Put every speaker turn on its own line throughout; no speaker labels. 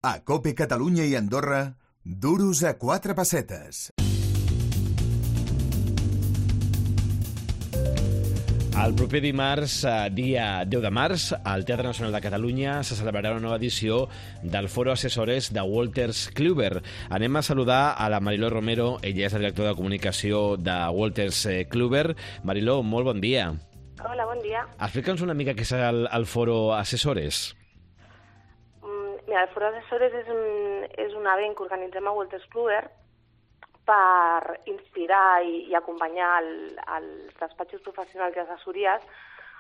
A COPE Catalunya i Andorra, duros a 4 pessetes.
El proper dimarts, dia 10 de març, al Teatre Nacional de Catalunya se celebrarà una nova edició del Foro Assessores de Wolters Kluwer. Anem a saludar a la Mariló Romero, ella és la directora de comunicació de Wolters Kluwer. Mariló, molt bon dia.
Hola, bon dia.
Explica'ns una mica què és el Foro Assessores.
Mira, el Foro Assessores és un event que organitzem a Wolters Kluwer per inspirar i acompanyar els despatxos professionals i assessories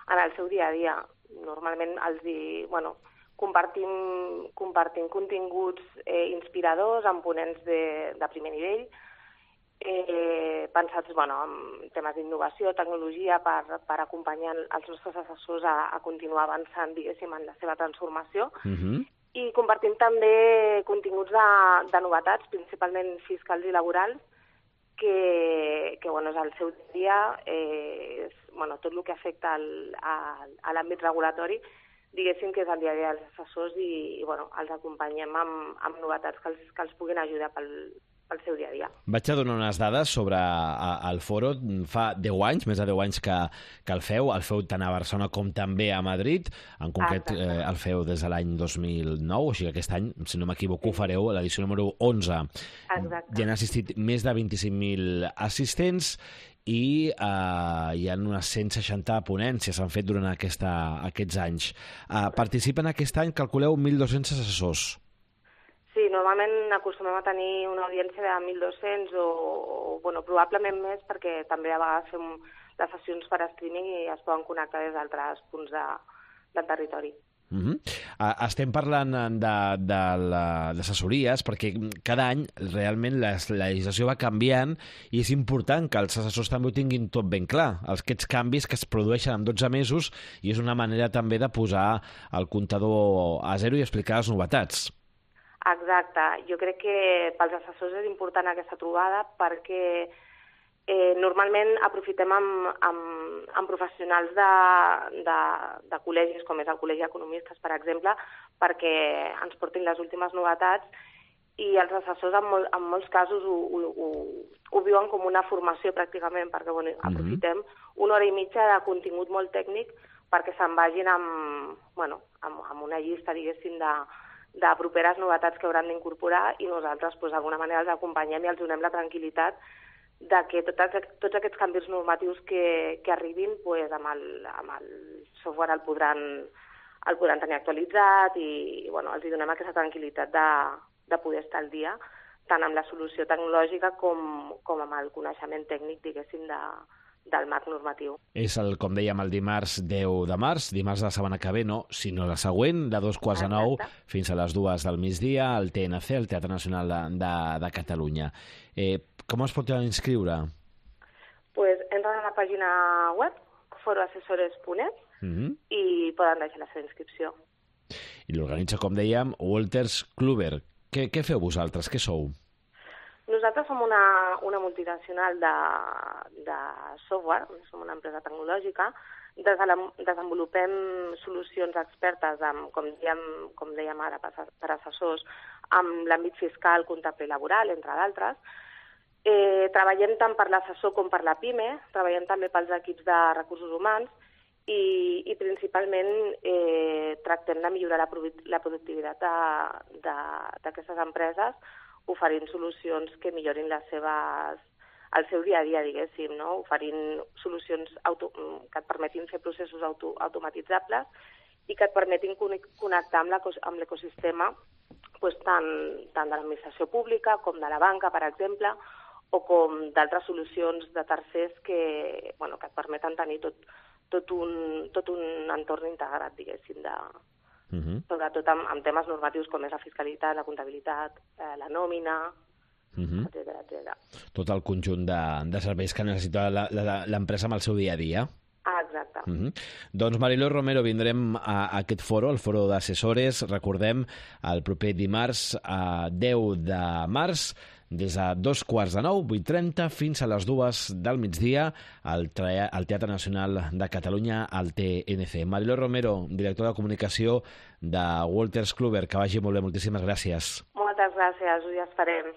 en el seu dia a dia. Normalment compartim continguts inspiradors amb ponents de primer nivell, pensats en temes d'innovació, tecnologia, per acompanyar els nostres assessors a continuar avançant, diguéssim, en la seva transformació. I compartim també continguts de novetats, principalment fiscals i laborals, que és el seu dia, tot el que afecta a l'àmbit regulatori, diguéssim que és el dia a dia dels assessors i els acompanyem amb novetats que els puguin ajudar pel seu dia a dia.
Vaig a donar unes dades sobre el foro. Fa 10 anys, més de 10 anys que el feu tant a Barcelona com també a Madrid. En concret, el feu des de l'any 2009, o sigui que aquest any, si no m'equivoco, fareu l'edició número 11.
Exacte.
Hi han assistit més de 25.000 assistents i hi ha unes 160 ponències s'han fet durant aquests anys. Participen aquest any, calculeu, 1.200 assessors.
Sí, normalment acostumem a tenir una audiència de 1.200 o probablement més, perquè també a vegades fem les sessions per streaming i es poden connectar des d'altres punts del territori.
Estem parlant d'assessories perquè cada any realment la legislació va canviant i és important que els assessors també ho tinguin tot ben clar. Aquests canvis que es produeixen en 12 mesos i és una manera també de posar el comptador a zero i explicar les novetats.
Exacte. Jo crec que pels assessors és important aquesta trobada perquè normalment aprofitem amb professionals de col·legis, com és el Col·legi d'Economistes, per exemple, perquè ens portin les últimes novetats i els assessors en molts casos ho viuen com una formació pràcticament, perquè aprofitem una hora i mitja de contingut molt tècnic perquè se'n vagin amb una llista, diguéssim, de properes novetats que hauran d'incorporar i nosaltres d'alguna manera els acompanyem i els donem la tranquil·litat de que tots aquests canvis normatius que arribin amb el software el podran tenir actualitzat i els donem aquesta tranquil·litat de poder estar al dia tant amb la solució tecnològica com amb el coneixement tècnic, diguéssim, del marc normatiu.
És com dèiem, el dimarts 10 de març, dimarts de la setmana que ve, sinó la següent, de 8:45 fins a les 2 del migdia, al TNC, el Teatre Nacional de Catalunya. Com es pot inscriure?
Entren a la pàgina web, foroassessores.net, i poden deixar la seva inscripció.
I l'organitza, com dèiem, Wolters Kluwer. Què feu vosaltres? Què sou?
Nosaltres som una multinacional de software, som una empresa tecnològica, desenvolupem solucions expertes, com dèiem ara, per assessors, amb l'àmbit fiscal, comptable i laboral, entre d'altres. Treballem tant per l'assessor com per la PIME, treballem també pels equips de recursos humans i principalment tractem de millorar la productivitat d'aquestes empreses oferint solucions que millorin el seu dia a dia, diguéssim, oferint solucions que et permetin fer processos automatitzables i que et permetin connectar amb l'ecosistema tant de l'administració pública com de la banca, per exemple, o com d'altres solucions de tercers que et permeten tenir tot un entorn integrat, diguéssim, sobretot amb temes normatius com és la fiscalitat, la comptabilitat, la nòmina, etcètera.
Tot el conjunt de serveis que necessita l'empresa amb el seu dia a dia.
Exacte.
Doncs Mariló Romero, vindrem a aquest foro, el foro d'assessores, recordem, el proper dimarts 10 de març des de 8:45, 8:30, fins a les 2 del migdia al Teatre Nacional de Catalunya, al TNC. Mariló Romero, directora de comunicació de Wolters Kluwer, que vagi molt bé, moltíssimes gràcies.
Moltes gràcies, us hi esperem.